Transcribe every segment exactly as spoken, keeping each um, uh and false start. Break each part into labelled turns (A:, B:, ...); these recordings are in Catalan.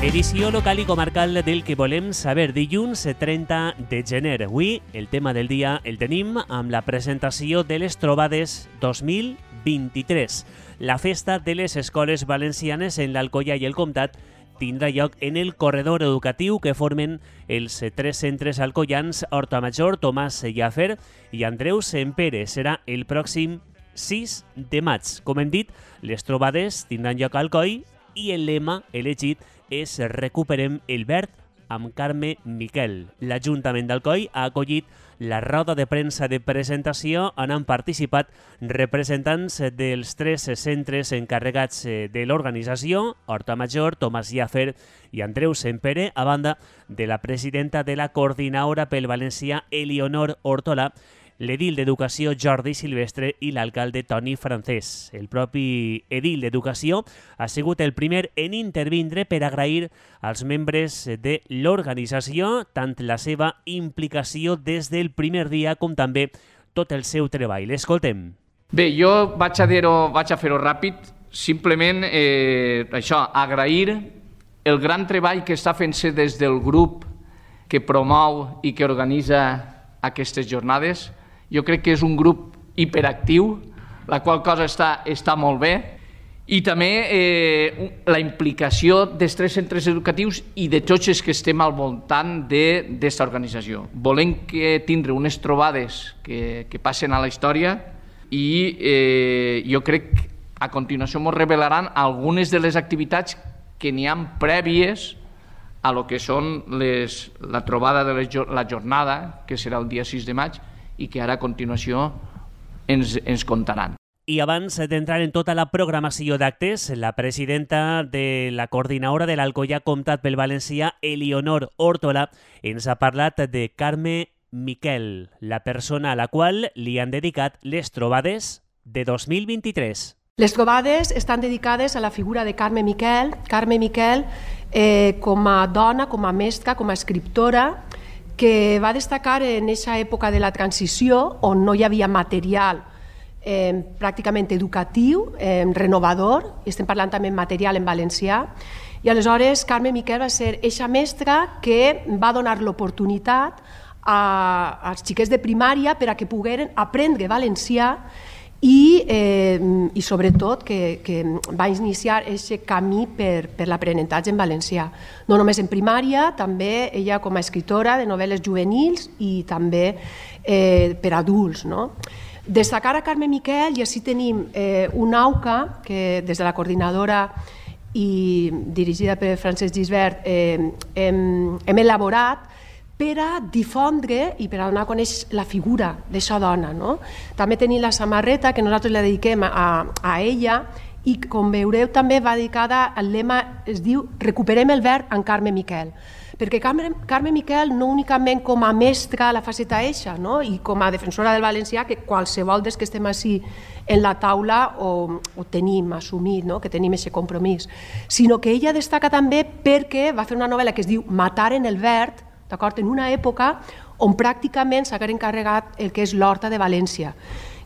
A: Edició local i comarcal del que volem saber dilluns trenta de gener. Avui el tema del dia el tenim amb la presentació de les trobades dos mil vint-i-tres. La festa de les escoles valencianes en l'Alcoià i el Comtat tindrà lloc en el corredor educatiu que formen els tres centres alcoians Hortamajor, Tomàs Llàfer i Andreu Sempere. Serà el pròxim sis de maig. Com hem dit, les trobades tindran lloc a Alcoi i el lema elegit és Recuperem el verd amb Carme Miquel. L'Ajuntament d'Alcoi ha acollit la roda de premsa de presentació on han participat representants dels tres centres encarregats de l'organització, Hortamajor, Tomàs Llàfer i Andreu Sempere, a banda de la presidenta de la Coordinadora pel Valencià, Elionor Hortola, l'edil d'Educació Jordi Silvestre i l'alcalde Toni Francés. El propi edil d'Educació ha sigut el primer en intervindre per agrair als membres de l'organització tant la seva implicació des del primer dia com també tot el seu treball. L'escoltem.
B: Bé, jo vaig a dir-ho, vaig a fer-ho ràpid, simplement eh, això, agrair el gran treball que està fent-se des del grup que promou i que organitza aquestes jornades. Jo crec que és un grup hiperactiu, la qual cosa està, està molt bé, i també eh, la implicació dels tres centres educatius i de tots els que estem al voltant d'aquesta organització. Volem que tindre unes trobades que, que passen a la història i eh, jo crec que a continuació ens revelaran algunes de les activitats que n'hi ha prèvies a lo que són les, la trobada de les, la jornada, que serà el dia sis de maig, i que ara a continuació ens, ens contaran.
A: I abans d'entrar en tota la programació d'actes, la presidenta de la Coordinadora de l'Alcoià Comtat pel Valencià, Elionor Hortola, ens ha parlat de Carme Miquel, la persona a la qual li han dedicat les trobades de dos mil vint-i-tres.
C: Les trobades estan dedicades a la figura de Carme Miquel. Carme Miquel, eh, com a dona, com a mestra, com a escriptora, que va destacar en aquesta època de la transició, on no hi havia material eh, pràcticament educatiu, eh, renovador, i estem parlant també en material en valencià, i aleshores Carme Miquel va ser eixa mestra que va donar l'oportunitat a, als xiquets de primària per a que pogueren aprendre valencià i, eh, i sobretot que, que va iniciar aquest camí per, per l'aprenentatge en valencià. No només en primària, també ella com a escriptora de novel·les juvenils i també eh, per adults. No? Destacar a Carme Miquel, i així tenim eh, una AUCA que des de la coordinadora i dirigida per Francesc Gisbert eh, hem, hem elaborat per a difondre i per a donar a conèixer la figura d'aquesta dona. No? També tenim la samarreta que nosaltres la dediquem a, a ella i, com veureu, també va dedicada al lema, es diu Recuperem el verd en Carme Miquel. Perquè Carme, Carme Miquel no únicament com a mestra la faceta eixa, no? I com a defensora del valencià, que qualsevol dels que estem així en la taula ho, ho tenim assumit, no? Que tenim aquest compromís, sinó que ella destaca també perquè va fer una novel·la que es diu Matar en el verd, d'acord, en una època on pràcticament s'ha encarregat el que és l'Horta de València.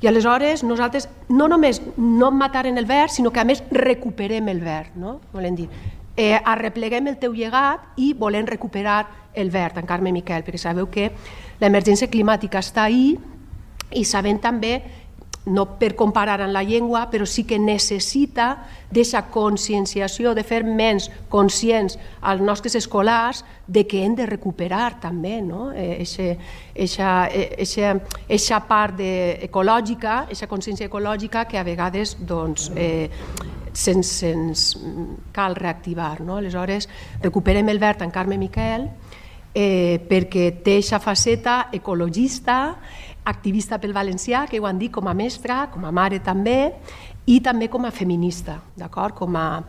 C: I aleshores nosaltres no només no matarem el verd, sinó que a més recuperem el verd, no? Volem dir, eh, arrepleguem el teu llegat i volem recuperar el verd, en Carme Miquel, perquè sabeu que l'emergència climàtica està ahí i sabem també, no per comparar amb la llengua, però sí que necessita d'aquesta conscienciació, de fer menys conscients als nostres escolars de que hem de recuperar també aquesta part ecològica, aquesta consciència ecològica que a vegades se'ns cal reactivar. Aleshores, recuperem el verd en Carme Miquel perquè té aquesta faceta ecologista, activista pel valencià, que ho han dit, com a mestra, com a mare també, i també com a feminista, d'acord? Com a,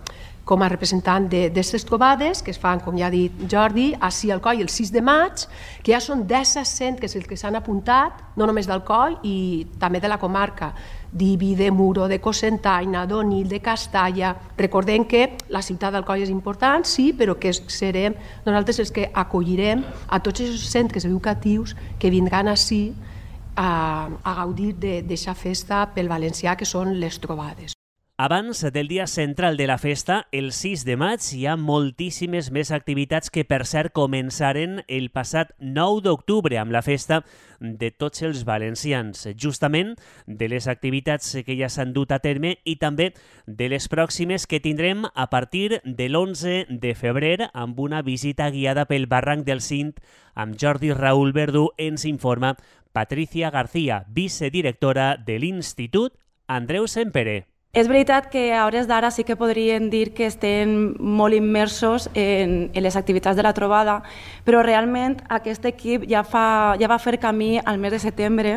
C: com a representant d'aquestes trobades que es fan, com ja ha dit Jordi, ací al Alcoi el sis de maig, que ja són disset centres els que s'han apuntat, no només d'Alcoi i també de la comarca, d'Ibi, de Muro, de Cocentaina, d'Onil, de Castalla. Recordem que la ciutat d'Alcoi és important, sí, però que serem nosaltres els que acollirem a tots els centres educatius que vindran ací a, a gaudir d'aquesta festa pel valencià que són les trobades.
A: Abans del dia central de la festa, el sis de maig, hi ha moltíssimes més activitats que, per cert, començaren el passat nou d'octubre amb la festa de tots els valencians. Justament de les activitats que ja s'han dut a terme i també de les pròximes que tindrem a partir de l'onze de febrer amb una visita guiada pel barranc del Cint amb Jordi Raúl Verdú, ens informa Patricia García, vicedirectora de l'Institut Andreu Sempere.
D: És veritat que a hores d'ara sí que podríem dir que estem molt immersos en, en les activitats de la trobada, però realment aquest equip ja, fa, ja va fer camí al mes de setembre,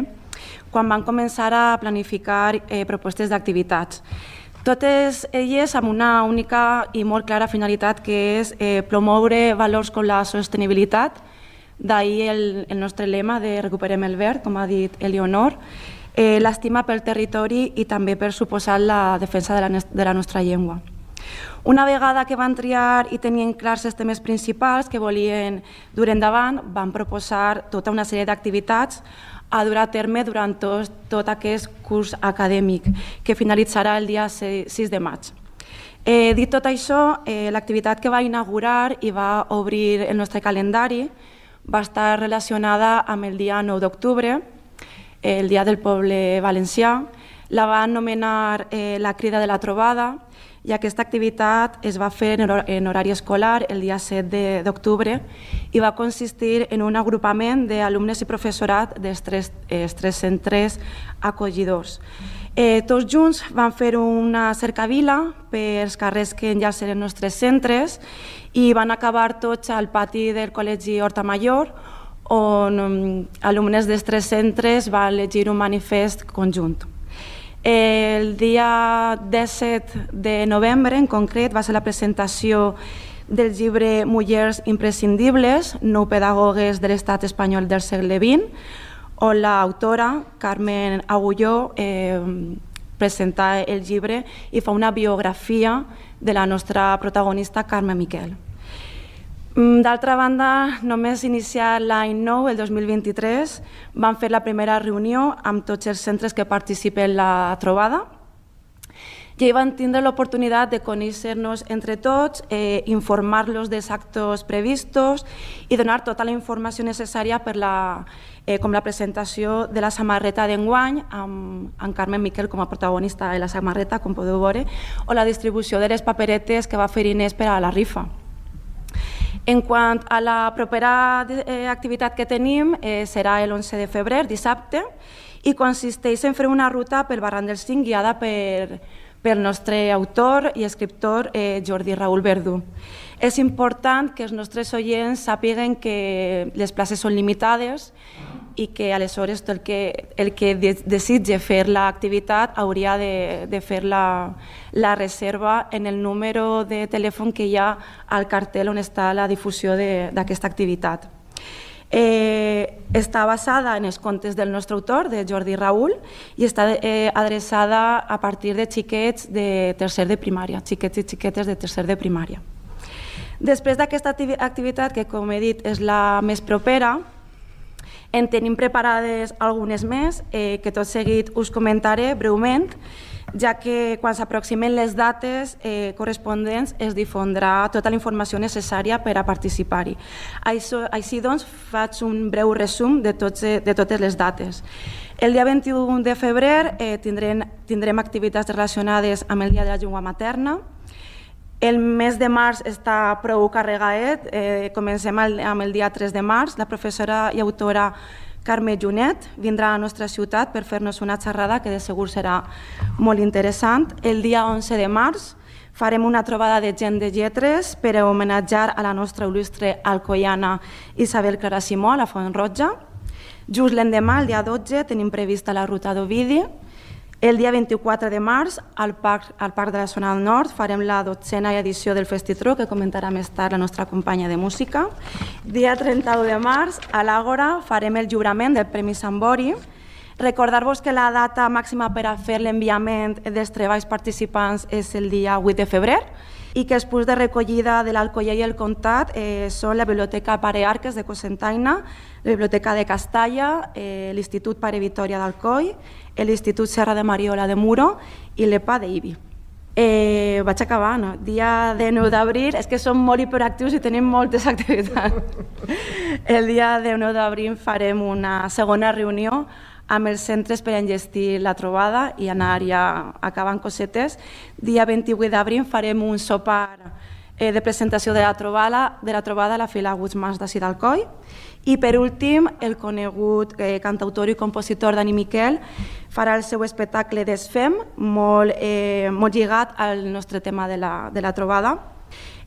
D: quan van començar a planificar eh, propostes d'activitats. Totes elles amb una única i molt clara finalitat, que és eh, promoure valors com la sostenibilitat, d'ahir el, el nostre lema de Recuperem el Verd, com ha dit Eleonor, Eh, l'estima pel territori i també per suposar la defensa de la, de la nostra llengua. Una vegada que van triar i tenien clars els temes principals que volien dur endavant, van proposar tota una sèrie d'activitats a dur a terme durant tot, tot aquest curs acadèmic que finalitzarà el dia sis de maig. Eh, dit tot això, eh, l'activitat que va inaugurar i va obrir el nostre calendari va estar relacionada amb el dia nou d'octubre, el Dia del Poble Valencià, la va anomenar eh, la Crida de la Trobada i aquesta activitat es va fer en, hor en horari escolar el dia set d'octubre i va consistir en un agrupament d'alumnes i professorat dels tres, eh, tres centres acollidors. Eh, tots junts van fer una cercavila pels carrers que enllacen els nostres centres i van acabar tots al pati del Col·legi Horta Major, on um, alumnes dels tres centres van llegir un manifest conjunt. El dia disset de novembre, en concret, va ser la presentació del llibre Mullers imprescindibles, nou pedagogues de l'estat espanyol del segle vint, on l'autora, Carmen Agulló, eh, presenta el llibre i fa una biografia de la nostra protagonista, Carme Miquel. D'altra banda, només iniciar l'any nou, el dos mil vint-i-tres, vam fer la primera reunió amb tots els centres que participen en la trobada i ahir van tindre l'oportunitat de conèixer-nos entre tots, eh, informar-los dels actes previstos i donar tota la informació necessària per la, eh, com la presentació de la samarreta d'enguany amb, amb Carmen Miquel com a protagonista de la samarreta, com podeu veure, o la distribució de les paperetes que va fer Inés per a la rifa. En quant a la propera eh, activitat que tenim, eh, serà l'onze de febrer, dissabte, i consisteix en fer una ruta pel barranc del Cint guiada per, pel nostre autor i escriptor eh, Jordi Raúl Verdú. És important que els nostres oients sàpiguen que les places són limitades i que aleshores el que, el que desitja fer l'activitat hauria de, de fer la, la reserva en el número de telèfon que hi ha al cartell on està la difusió d'aquesta activitat. Eh, està basada en els contes del nostre autor, de Jordi Raúl, i està eh, adreçada a partir de xiquets de tercer de primària, xiquets i xiquetes de tercer de primària. Després d'aquesta activitat, que com he dit és la més propera, en tenim preparades algunes més, eh, que tot seguit us comentaré breument, ja que quan s'aproximen les dates eh, corresponents es difondrà tota la informació necessària per a participar-hi. Així doncs, faig un breu resum de, tots, de totes les dates. El dia vint-i-u de febrer eh, tindrem, tindrem activitats relacionades amb el Dia de la Llengua Materna. El mes de març està prou carregadet, eh, comencem amb el dia tres de març. La professora i autora Carme Junet vindrà a la nostra ciutat per fer-nos una xerrada que de segur serà molt interessant. El dia onze de març farem una trobada de gent de lletres per a homenatjar a la nostra il·lustre alcoiana Isabel Clara Simó a la Font Roja. Just l'endemà, el dia dotze, tenim prevista la ruta d'Ovidi. El dia vint-i-quatre de març, al Parc, al Parc de la Zona del Nord, farem la dotzena edició del Festitro, que comentarà més tard la nostra companya de música. Dia trenta-u de març, a l'Àgora, farem el lliurament del Premi Sambori. Recordar-vos que la data màxima per a fer l'enviament dels treballs participants és el dia vuit de febrer i que els punts de recollida de l'Alcoià i el Comtat eh, són la Biblioteca Pare Arques de Cocentaina, la Biblioteca de Castalla, eh, l'Institut Pare Vitòria d'Alcoi, l'Institut Serra de Mariola de Muro i l'E P A d'Ibi. Eh, vaig acabant. Dia dinou d'abril, és que som molt hiperactius i tenim moltes activitats. El dia dinou d'abril farem una segona reunió amb els centres per enllestir la trobada i anar ja acabant cosetes. Dia vint-i-vuit d'abril farem un sopar eh, de presentació de la trobada, de la trobada a la Fila Aguts Mas d'ací d'Alcoi. I per últim, el conegut eh, cantautor i compositor Dani Miquel farà el seu espectacle Desfem, molt, eh, molt lligat al nostre tema de la, de la trobada.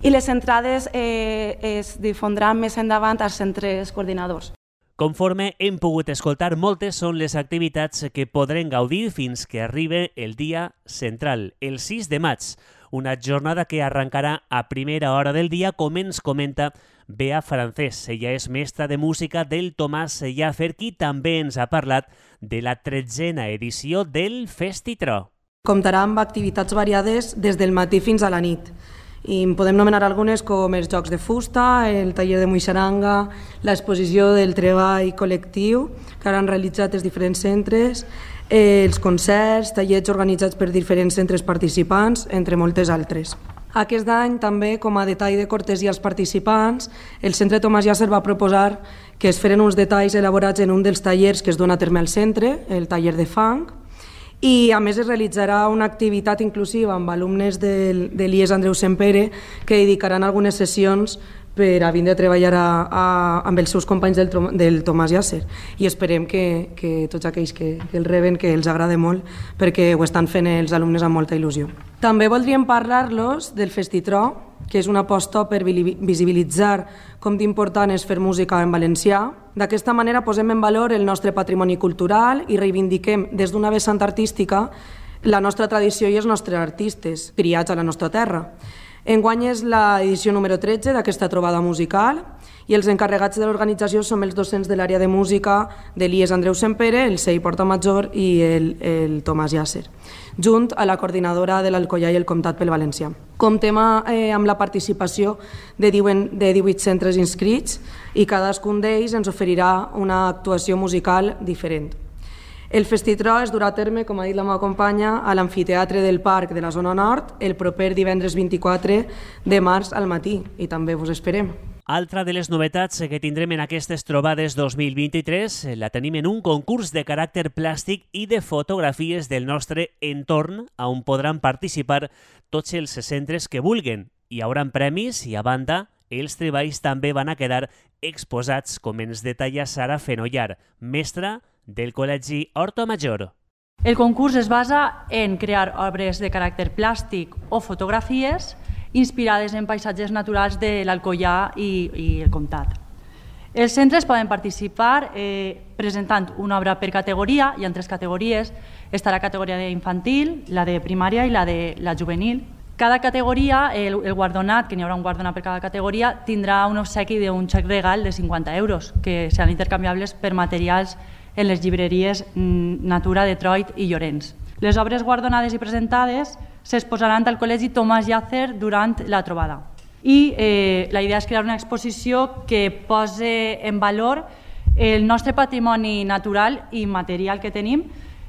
D: I les entrades eh, es difondran més endavant als centres coordinadors.
A: Conforme hem pogut escoltar, moltes són les activitats que podrem gaudir fins que arribi el dia central, el sis de maig, una jornada que arrencarà a primera hora del dia, com ens comenta Bea Francés. Ella és mestra de música del Tomàs Llàcer, qui també ens ha parlat de la tretzena edició del Festitro.
E: Comptarà amb activitats variades des del matí fins a la nit. I en podem nomenar algunes com els jocs de fusta, el taller de muixaranga, l'exposició del treball col·lectiu que han realitzat els diferents centres, els concerts, tallers organitzats per diferents centres participants, entre moltes altres. Aquest any també, com a detall de cortesia als participants, el Centre Tomàs Llàcer va proposar que es feren uns detalls elaborats en un dels tallers que es dona a terme al centre, el taller de fang, i a més es realitzarà una activitat inclusiva amb alumnes del, de l'I E S Andreu Sempere que dedicaran algunes sessions per a vindre a treballar a, a, amb els seus companys del, del Tomàs Llàcer, i esperem que, que tots aquells que, que el reben, que els agrada molt, perquè ho estan fent els alumnes amb molta il·lusió. També voldríem parlar-los del Festitro, que és una aposta per visibilitzar com d'important és fer música en valencià. D'aquesta manera posem en valor el nostre patrimoni cultural i reivindiquem des d'una vessant artística la nostra tradició i els nostres artistes, criats a la nostra terra. Enguany és l'edició número tretze d'aquesta trobada musical i els encarregats de l'organització som els docents de l'àrea de música de l'I E S Andreu Sempere, el C E I Porta Major i el, el Tomàs Llàcer, junt a la coordinadora de l'Alcoià i el Comtat pel Valencià. Comptem eh, amb la participació de divuit centres inscrits i cadascun d'ells ens oferirà una actuació musical diferent. El Festitro es durà a terme, com ha dit la meva companya, a l'Amfiteatre del Parc de la Zona Nord el proper divendres vint-i-quatre de març al matí, i també vos esperem.
A: Altra de les novetats que tindrem en aquestes trobades dos mil vint-i-tres la tenim en un concurs de caràcter plàstic i de fotografies del nostre entorn, on podran participar tots els centres que vulguen. Hi haurà premis i, a banda, els treballs també van a quedar exposats, com ens detalla Sara Fenollar, mestra del Col·legi Horta Major.
F: El concurs es basa en crear obres de caràcter plàstic o fotografies inspirades en paisatges naturals de l'Alcoià i, i el Comtat. Els centres poden participar eh, presentant una obra per categoria. Hi ha tres categories. Està la categoria infantil, la de primària i la de la juvenil. Cada categoria, el, el guardonat, que n'hi haurà un guardonat per cada categoria, tindrà un obsequi d'un xec regal de cinquanta euros, que seran intercanviables per materials en les llibreries Natura, Detroit i Llorenç. Les obres guardonades i presentades s'exposaran al Col·legi Tomàs Llàcer durant la trobada. I eh, la idea és crear una exposició que pose en valor el nostre patrimoni natural i material que tenim,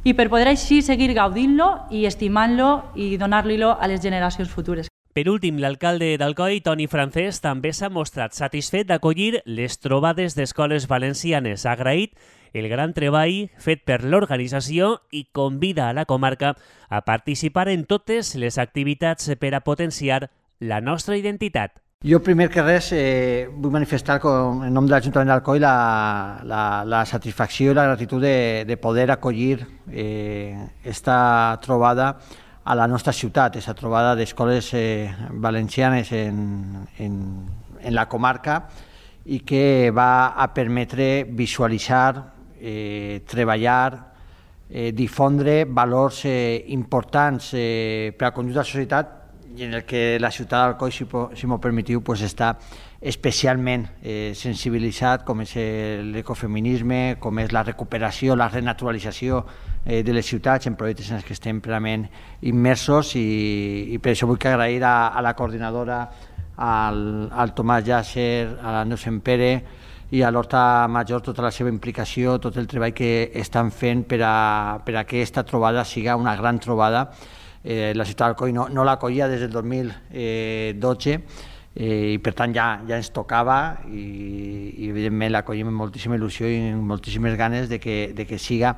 F: i per poder així seguir gaudint-lo i estimant-lo i donar-li-lo a les generacions futures.
A: Per últim, l'alcalde d'Alcoi, Toni Francés, també s'ha mostrat satisfet d'acollir les trobades d'escoles valencianes. Ha agraït el gran treball fet per l'organització i convida a la comarca a participar en totes les activitats per a potenciar la nostra identitat.
G: Jo, primer que res, eh, vull manifestar com, en nom de l'Ajuntament d'Alcoi la, la, la satisfacció i la gratitud de, de poder acollir eh, esta trobada a la nostra ciutat, aquesta trobada d'escoles eh, valencianes en, en, en la comarca, i que va a permetre visualitzar, eh, treballar, eh, difondre valors eh, importants eh, per al conjunt de la societat, i en el que la ciutat d'Alcoi, si, si m'ho permetiu, pues, està especialment eh, sensibilitzat, com és l'ecofeminisme, com és la recuperació, la renaturalització eh, de les ciutats en projectes en els que estem plenament immersos, i, i per això vull agrair a, a la coordinadora, al, al Tomàs Llàcer, a l'Andreu Sempere i a l'Horta Major tota la seva implicació, tot el treball que estan fent per a, per a que aquesta trobada siga una gran trobada eh, la ciutat d'Alcoi no, no l'acollia des del dos mil dotze, eh, i per tant ja, ja ens tocava i, i evidentment l'acollim amb moltíssima il·lusió i amb moltíssimes ganes de que, de que siga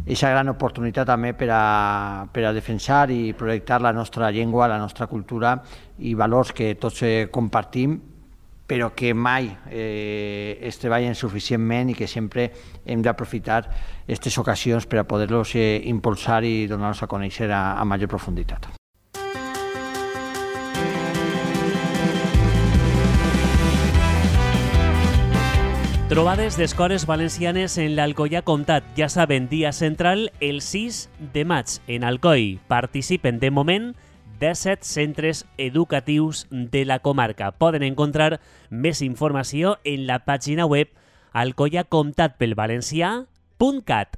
G: aquesta gran oportunitat també per a, per a defensar i projectar la nostra llengua, la nostra cultura i valors que tots eh, compartim, però que mai eh, es treballen suficientment i que sempre hem d'aprofitar aquestes ocasions per a poder-los eh, impulsar i donar-los a conèixer a, a major profunditat.
A: Trobades d'escoles valencianes en l'Alcoià Comtat. Ja saben, dia central el sis de maig en Alcoi. Participen de moment disset centres educatius de la comarca. Poden encontrar més informació en la pàgina web alcoiacomtatpelvalencià punt cat.